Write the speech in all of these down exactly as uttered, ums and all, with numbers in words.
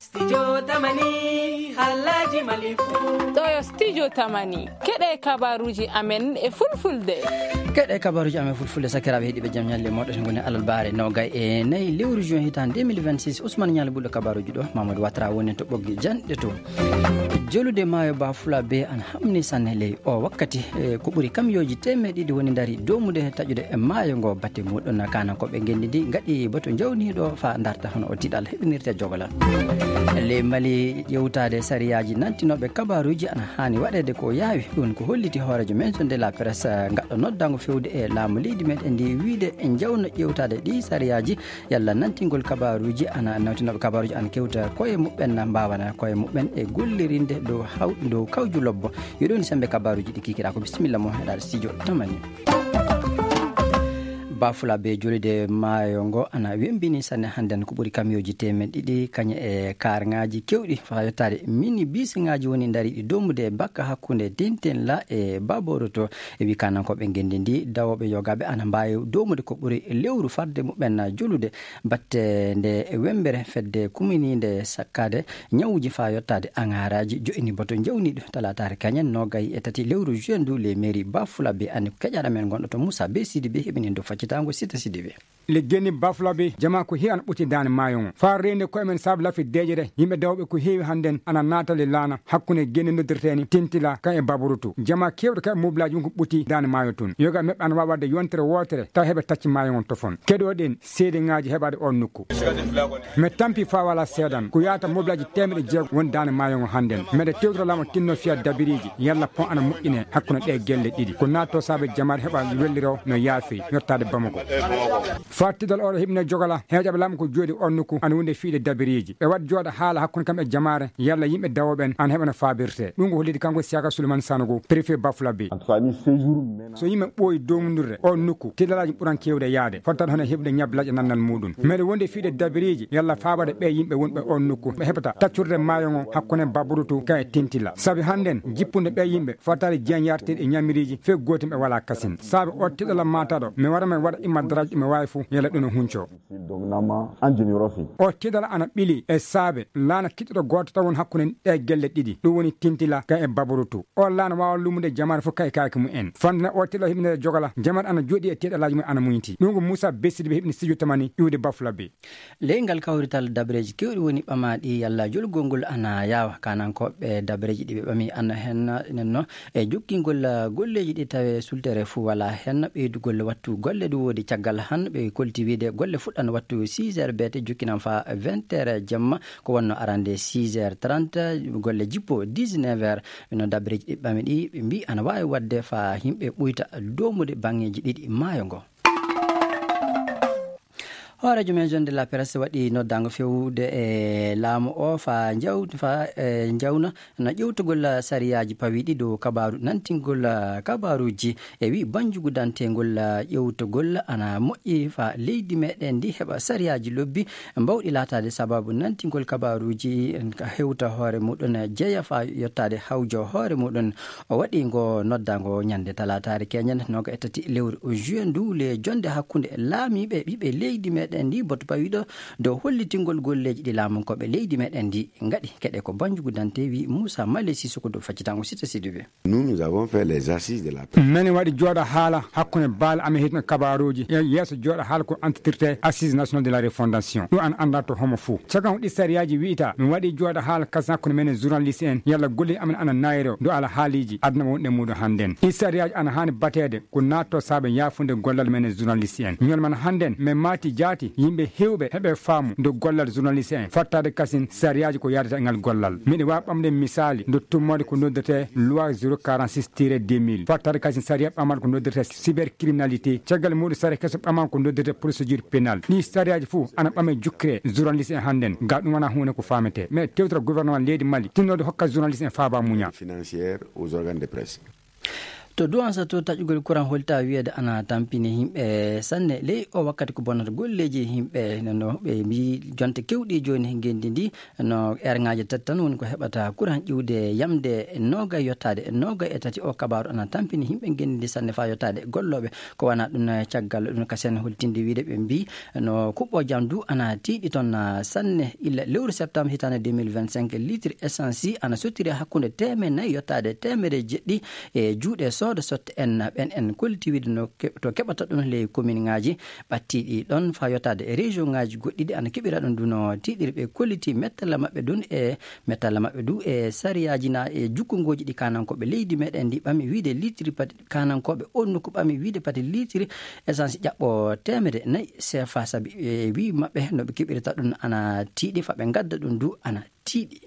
Studio Tamani, Halaji Malifu. Ɗo yo Studio Tamani. Keɗe kabaruji amen e fulfulde. Keɗe kabaruji amen fulfulde, sakiraaɓe heɗiiɓe jam ñalle moɗo to ngoni alarbaare nogay e nayi lewru juin hitaande deux mille vingt-six. Ousmane Ñaali ɓulɗo kabaruji ɗo, Mamadou Watra woni to ɓoggi janɗe to. Jolude maayo Bafulabe ana hamni sanne ley o wakkati. E, ko ɓuri kamyooji teemeɗe ɗiɗi woni ndari domude taƴude e maayo ngo batte muɗum. Kanan ko ɓe ngenndi ndi ngaɗi bato njawniiɗo fa darta hono o tiɗal heɓinirte jogola. Ley Mali, ƴewtaade sariyaaji nantinooɓe kabaruuji ana haani waɗeede ko yaawi. Ɗum ko holliti hooreejo Maison de la Presse, eh, ngaɗɗo noddaango fewde e laamu leydi meɗen ndi, wiide e njawna ƴewtaade ɗi sariyaaji, yalla nantingol kabaruuji ana, nantinooɓe kabaruuji ana kewta koye muɓɓen, na mbaawana koye muɓɓen e gollirinde dow haw-, dow kawju lobbo. Yo ɗum sembe kabaruuji ɗi kikiraa ko. Bisimilla mo heɗaade studio Tamani. Bafulabe jolude maayo ngo ana wembini sanne hannden. Ko ɓuri kamyooji teemeɗe ɗiɗi kañe e karŋaaji kewɗi fa yottaade mini bisiŋaaji woni ndariiɗi domude e bakka hakkunde Tintinla e Baboroto. E wi kanankooɓe ngenndi ndi, dawooɓe yogaaɓe ana mbaawi domude ko ɓuri lewru farde muɓɓen jolude. Batte nde wembere fedde kuminiinde sakkaade ñawuji fa yottaade aŋaaraaji jo'ini bato njawniiɗo talaataare kañen nogay e tati lewru juin ndu. Le mairie Bafulabe anni ko keƴaɗo men gonɗo to Moussa Be Sidibé heɓini ndu faccitaango Sita Sidibé. Le geni Bafulabe, jama ko heewi ana ɓuti daande maayo ngo. Faa reende koye men saabu lafi deeƴere, yimɓe dawɓe ko heewi hannden ana naatali laana hakkunde geni noddirteeni Tintila kan e Baburutu. Jama keewɗo kaɓe mobilaaji won ko ɓuti daande maayo tun. Yoga meɓɓe ana waawi waɗde yontere wootere tawa heɓe tacci maayo ngon tofon. Keɗoɗen seedeŋaaji heɓaade on nokku. Mi tampi faa wala seedan ko yaata mobilaaji teemeɗe jeego woni daande maayo ngo hannden. Meɗe tewtora laamu tinno fiya dabiriiji yalla pon ana moƴƴine hakkunde ɗe gelle ɗiɗi. Ko naatto saabe jamaare heɓa welliro no yaafi yottaade Bamako. Faa tiɗal oɗo heɓino jogala heejaɓe laamu ko jooɗi on nokku ana wonde fiide dabiriiji. Ɓe waɗi jooɗa haala hakkunde kam e jamaare yalla yimɓe dawooɓen ana heɓa no faabirte. Ɗum ko holliti kanko Siaka Souleymane Sanogo, préfet Bafulabe. So yimɓe ɓooyi doomndirde o nokku, tiɗalaaji ɓuran keewde yaade, fottata hono heɓude ñabbe laaƴe nannal muɗum. Meɗe wonde fiide dabiriiji, yalla faabaade ɓee yimɓe wonɓe o nokku, ɓe heɓata taccurde maayo ngo hakkunde Baburutu ka e Tintila. Sabi hannden, jippunde ɓee yimɓe, fottaade jiyan yarteeɗi e ñamiriiji, fee gootum ɓe walaa kasin. Sabi o tiɗala maataɗo, mi wara men waɗa imma daraaji ɗi mi waawi fof, yalla ɗum no hunco. O tiɗala ana ɓili e saabe laana kiɗɗoɗo gooto taw won hakkunde ɗee gelle ɗiɗi. Ɗum woni Tintila ka e Baburutu. O laana waawa lumude jamaare fof kay kaaki mum en. Fandina o tiɗala heɓinere jogala, jamaare ana jooɗi e tiɗalaaji mum ana muñiti. Ɗum ko Moussa Be Sidibé heɓini studio Tamani iwde Bafulabe. Ley ngal kawrital dabareeji keewɗi woni ɓamaaɗi yalla jolgol ngol ana yaawa. Kanankooɓe dabareeji ɗi ɓe ɓami ana hen nenno e jokkingol, ah, golleeji ɗi tawe sultere fuu walaa hen. Ɓeydugol wattu golle ɗum woodi caggal han ɓe kolti wiide golle fuɗɗan wattu six heures beete jokkinan faa vingt heures jamma. Ko wonno arande six heures trente, golle jippo dix-neuf heures. No dabareeji ɗi ɓami ɗi ɓe mbii ana waawi waɗde faa yimɓe ɓuyta doomude baŋŋeeji ɗiɗi maayo ngo. Hooreejo men Jean de la Presse waɗi noddaango fewde e laamu o faa njaw-, faa, e, njawna no ƴewtugol sariyaaji pawiiɗi dow kabaaru, nantingol, ah, kabaaruuji. E wi banjugu dantengol, ah, ƴewtugol ana moƴƴi faa leydi meɗen ndi heɓa sariyaaji lobbi mbawɗi laataade sababu nantingol kabaaruuji en ka hewta hoore muɗum jeya faa yottaade hawjo hoore muɗum. O waɗi ngo noddaango ñande talaataare keñen noga e tati lewru juin ndu le jonde hakkunde laamiiɓe ɓiɓɓe leydi meɗen ndi boto pawiɗo dow hollitingol golleeji ɗi laamunkooɓe leydi meɗen ndi ngaɗi. Keɗe ko banjugu dante wi Moussa Male Sissoko dow faccitango Sita Sidibé. Nous, nous avons fait les assises de la paix. Mene waɗi jooɗa haala hakkunde baala amen hitno kabaaruuji e yeeso jooɗa haala ko antitirte Assises nationales de la refondation. Ɗum an annda to homo fuu. Cagam ɗi sariyaaji wi'ita, mi waɗi jooɗa haala kas hakkunde men e journaliste en, yalla golle amen ana nayro do ala haaliiji aduna mo wonɗen muɗum hannden. Ɗi sariyaaji ana haani bateede ko naatto saabe yaafunde gollal men e journaliste en. Ñol man hannden, men maati jaati, yimɓe heewɓe heɓe faamu do gollal journaliste en. Fattaade kasin sariyaaji ko yaadata e ngal gollal. Miɗo waawi ɓamde misaali do tummoode ko noddirte loi zéro quarante-six tiret deux mille. Fattaade kasin sariya ɓamal ko noddirte cybercriminalité. Caggal muɗum sariya keso ɓamal ko noddirte procédure pénale. Ɗi sariyaaji fof ana ɓame jukkire journaliste en hannden. Ga ɗum wona huunde ko faamete. Mais tewtata gouvernement leydi Mali tinnoode hokka journaliste en faaba muña. Financière aux organes de presse. To Duwansa to, taƴugol kuran holta wiyeede ana tampini yimɓe sanne. Ley o wakkati ko bonnata golleeji yimɓe, no ɓe mbii jonte kewɗi jooni ngenndi ndi, no erŋaaji tati tan woni ko heɓata kuran ƴiwde yamde noogay yottaade noogay e tati. O kabaaru ana tampini yimɓe ngenndi ndi sanne faa yottaade gollooɓe. Ko wana ɗum caggal ɗum kasen holtinde wiide ɓe mbii no kuɓɓo jam du ana tiiɗi toon, ah, sanne. Illa lewru septembre hitaande deux mille vingt-cinq, litre essence ana sottiri hakkunde teemedde nayi yottaade teemedde jeɗɗi e juuɗe sooda sotte en ɓen. En kolliti wiide no ke-, to keɓata ɗum ley kominŋaaji ɓattiiɗi ɗon faa yottaade e région ŋaaji goɗɗi ɗi ana keɓira ɗum du no tiiɗiri. Ɓe kolliti mettalla maɓɓe ɗum e mettalla maɓɓe du e sariyaaji na e jukkungooji ɗi kaanankooɓe leydi meɗen ndi ɓami wiide litiri pati kaanankooɓe on nokku ɓami wiide pati litiri essence ƴaɓɓo teemedde nayi seefa sabi e wii maɓɓe no ɓe keɓirta ɗum ana tiiɗi faa ɓe ngadda ɗum du ana tiiɗi.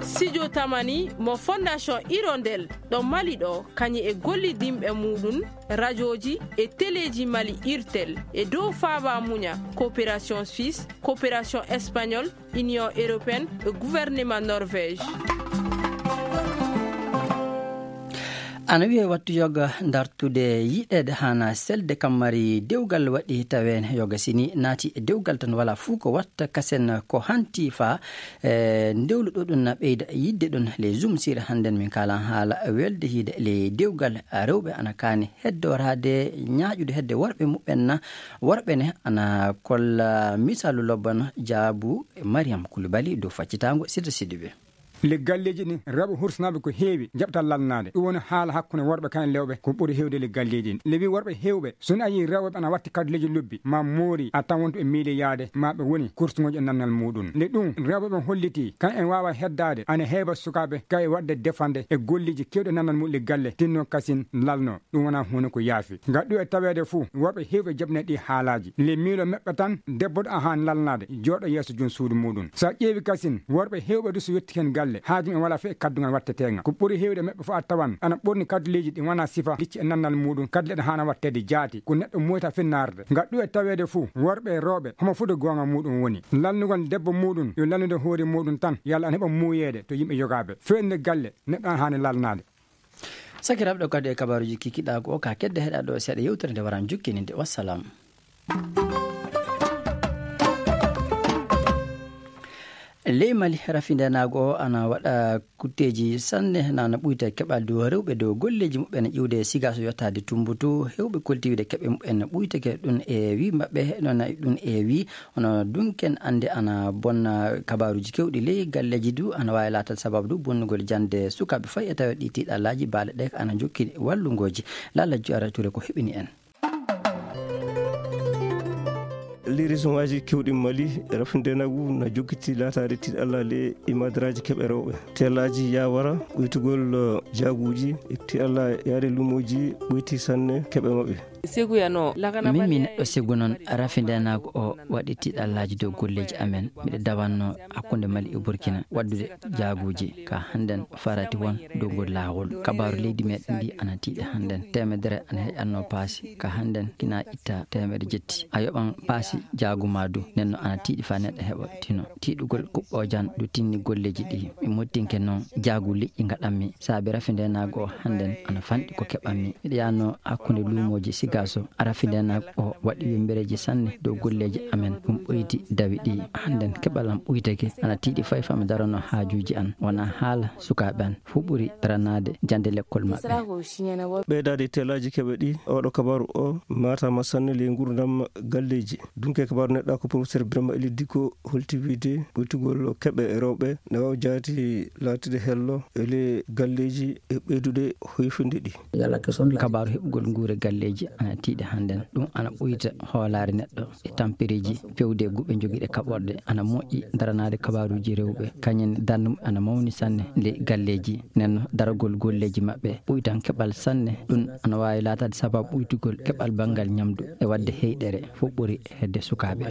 Studio Tamani mo Fondation Hirondelle ɗo Mali ɗo, kañum e gollidinɓe muɗum, rajooji e teleeji Mali, Irtel, e dow faaba muña, coopération suisse, coopération espagnole, Union européenne e gouvernement Norvège. Ana wiye wattu yoga dartude yiɗeede hana selde kam mari dewgal waɗi tawen yoga sini naati e dewgal tan wala fuu ko watta kasen ko hanti fa, e, ndewlu ɗo ɗum na ɓeyda yidde ɗum le zoom sire hannden min kala haala welde hiide le dewgal rewɓe ana kaani heddoraade ñaaƴude hedde worɓe muɓɓen na worɓe ne ana kolla misalu lobbano jaabu Mariam Koulibaly dow faccitaango Sita Sidibé. Le galleeji ɗin, rewɓe hursinaaɓe ko heewi jaɓta lalnaade. Ɗum woni haala hakkunde worɓe kan e rewɓe ko ɓuri heewde le galleeji ɗin. Le wi worɓe heewɓe, so a yii rewɓe ana watti kadduleeji lobbi, ma moori, a tawan wontu e miile yaade, ma ɓe woni kursuŋooji e nannal muɗum. Le ɗum, rewɓe ɓen holliti, kan en waawa heddaade, ana heewa sukaaɓe, kay waɗde defande e golleeji kewɗi e nannal muɗum le galle, tinno kasin lalno. Ɗum wonaa huunde ko yaafi. Ngal ɗum e taweede fuu, worɓe heewɓe jaɓna ɗi haalaaji. Le miilo meɓɓe tan, debbo ɗo a haan lalnaade, jooɗo yeeso jom suudu muɗum. So a ƴeewi kasin, worɓe heewɓe du so yotti heen galle, haaju mum en walaa fee e kaddungal watteteeŋgal. Ko ɓuri heewde meɓɓe fof a tawan, ana ɓorni kadduleeji ɗi wanaa sifa, licci e nannal muɗum, kadduleeɗe haana watteede jaati, ko neɗɗo moyta fee naarde. Ngal ɗum e taweede fuu, worɓe e rewɓe, homo fuu de goonga muɗum woni. Lalnugol debbo muɗum, yo lalnude hoore muɗum tan, yalla ana heɓa muuyeede to yimɓe yogaaɓe. Feewde galle, neɗɗo ana haani lalnaade. Sakiraaɓe, ɗo kadi e kabaaruuji kikiɗaagu o, ka kedde heɗa ɗo seeɗa yewtere nde waran jukkininde. Wassalam. Ley Mali, rafi ndeenaagu o ana waɗa kutteeji sanne, na ana ɓuyta keɓal dow rewɓe dow golleeji muɓɓen ƴiwde siga so yottaade Tumbutu. Heewɓe kolti wiide keɓe muɓɓen ɓuytake ɗum e wii maɓɓe, noon ɗum e wii Hono dunken annde ana bonna kabaaruuji kewɗi ley galleeji du, ana waawi laataade sababu du bonnugol jannde sukaaɓe fay e tawa ɗi tiiɗallaaji baale ɗe ana njokki wallungooji. Lalla Juara Touré ko heɓini en. Ley région ŋaaji kewɗi Mali, rafi ndeenaagu na jokkiti laataade tiiɗalla ley imadaraaji keɓe rewɓe. Teelaaji yawara, ɓuytugol, eh, jaaguuji, e tiiɗalla yaade luumooji ɓuyti sanne keɓe maɓɓe. Min mi neɗɗo sigu noon, rafi ndeenaagu o waɗi tiiɗallaaji dow golleeji amen. Miɗo dawannoo hakkunde Mali e Burkina waɗdude jaaguuji ka hannden farati won dow ngol laawol. Kabaaru leydi meɗen ndi ana tiiɗi hannden. Teemedere ana heƴatnoo paasi ka hannden kina itta teemedde jetti. A yoɓan paasi jaagu ma du. Nden no ana tiiɗi faa neɗɗo heɓa tino. Tiiɗugol kuɓɓoojan du tinni golleeji ɗi. Mi mottinke noon jaagu liƴƴi ngaɗanmi. Saabe rafi ndeenaagu o hannden ana fanɗi ko keɓanmi. Miɗo yahnoo hakkunde luumooji Sigaso. Rafi ndeenaagu o waɗi wembereeji sanne dow golleeji amen. Ɗum ɓoyti dawi ɗi. Hannden keɓal am ɓuytake. Ana tiiɗi fay faa mi daranoo haajuuji an. Wonaa haala sukaaɓe an. Fuu ɓuri daranaade jannde lekkol maɓɓe. Ɓeydaade e teelaaji keɓe ɗi, oɗo kabaaru o maataama sanne ley nguurndam galleeji. Dunke kabaaru neɗɗa ko Professeur Birama Eli Dikko holti wiide ɓuytugol keɓe rewɓe ne waawa jaati laatide hello e ley galleeji e ɓeydude hoyfinde ɗi. Kabaaru heɓugol nguure galleeji ana tiiɗi hannden. Ɗum ana ɓuyta hoolaare neɗɗo e tampereeji fewde e guɓe jogiiɗe kaɓorɗe. Ana moƴƴi daranaade kabaaruuji rewɓe. Kañum darnde mum ana mawni sanne ley galleeji. Nden no daragol golleeji maɓɓe ɓuytan keɓal sanne. Ɗum ana waawi laataade sababu ɓuytugol keɓal banngal ñamdu e waɗde heyɗere fof ɓuri hedde sukaaɓe.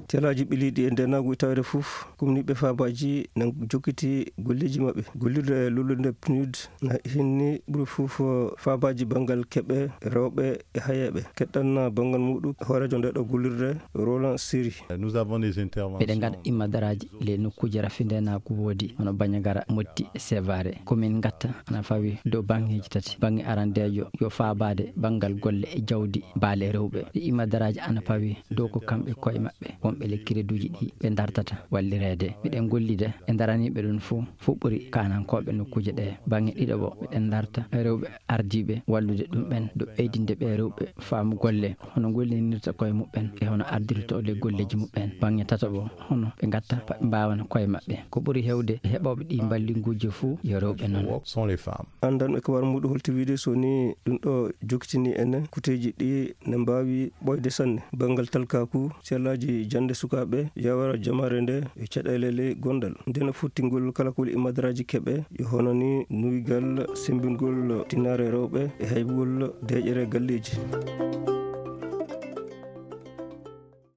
Teelaaji ɓiliiɗi e ndeenaagu e taweede fof, kumniiɓe faabaaji nan jokkiti golleeji maɓɓe. Gollirde lullunde PNUD na hinni ɓuri fof faabaaji banngal keɓe rewɓe e hayeeɓe. Keɗɗan banngal muɗum hooreejo nde ɗo gollirde, Roland Siri. Nous avons des interventions. Miɗen ngadda imadaraaji le nokkuuje rafindenaaku woodi, hono Bandiagara, Motti, Sévaré. Ko min ngatta ana fawi dow banngeeji tati. Bannge arandeejo yo faabaade banngal golle e jawdi baale rewɓe. Ɗi imadaraaji ana pawi dow ko kamɓe koye maɓɓe wonɓe le crédit uji ɗi ɓe dartata wallireede. Miɗen gollida e daraniiɓe ɗum fof, fof ɓuri kaanankooɓe nokkuuje ɗe. Bannge ɗiɗaɓo, miɗen darta rewɓe ardiiɓe wallude ɗum ɓen, ɗo ɓeydinde ɓe rewɓe faamu golle, hono gollinirta koye muɓɓen e hono ardirta le golleeji muɓɓen. Bannge tataɓo, hono ɓe ngatta pa-, mbaawana koye maɓɓe. Ko ɓuri heewde e heɓooɓe ɗi mballinguuji fof yo rewɓe non. Sont les femmes. Anndanɓe ko war muɗum holti wiide so ni ɗum ɗo jokkitini en kuteeji ɗi ne mbaawi ɓooyde sanne. Banngal talkaaku, sellaaji jannde sukaaɓe, yawara jamaare nde e caɗeele le gondal. Ndena fottingol kala ko woni imadaraaji keɓe, yo hono ni nuygal, sembingol tinaare rewɓe e haybugol deeƴere galleeji.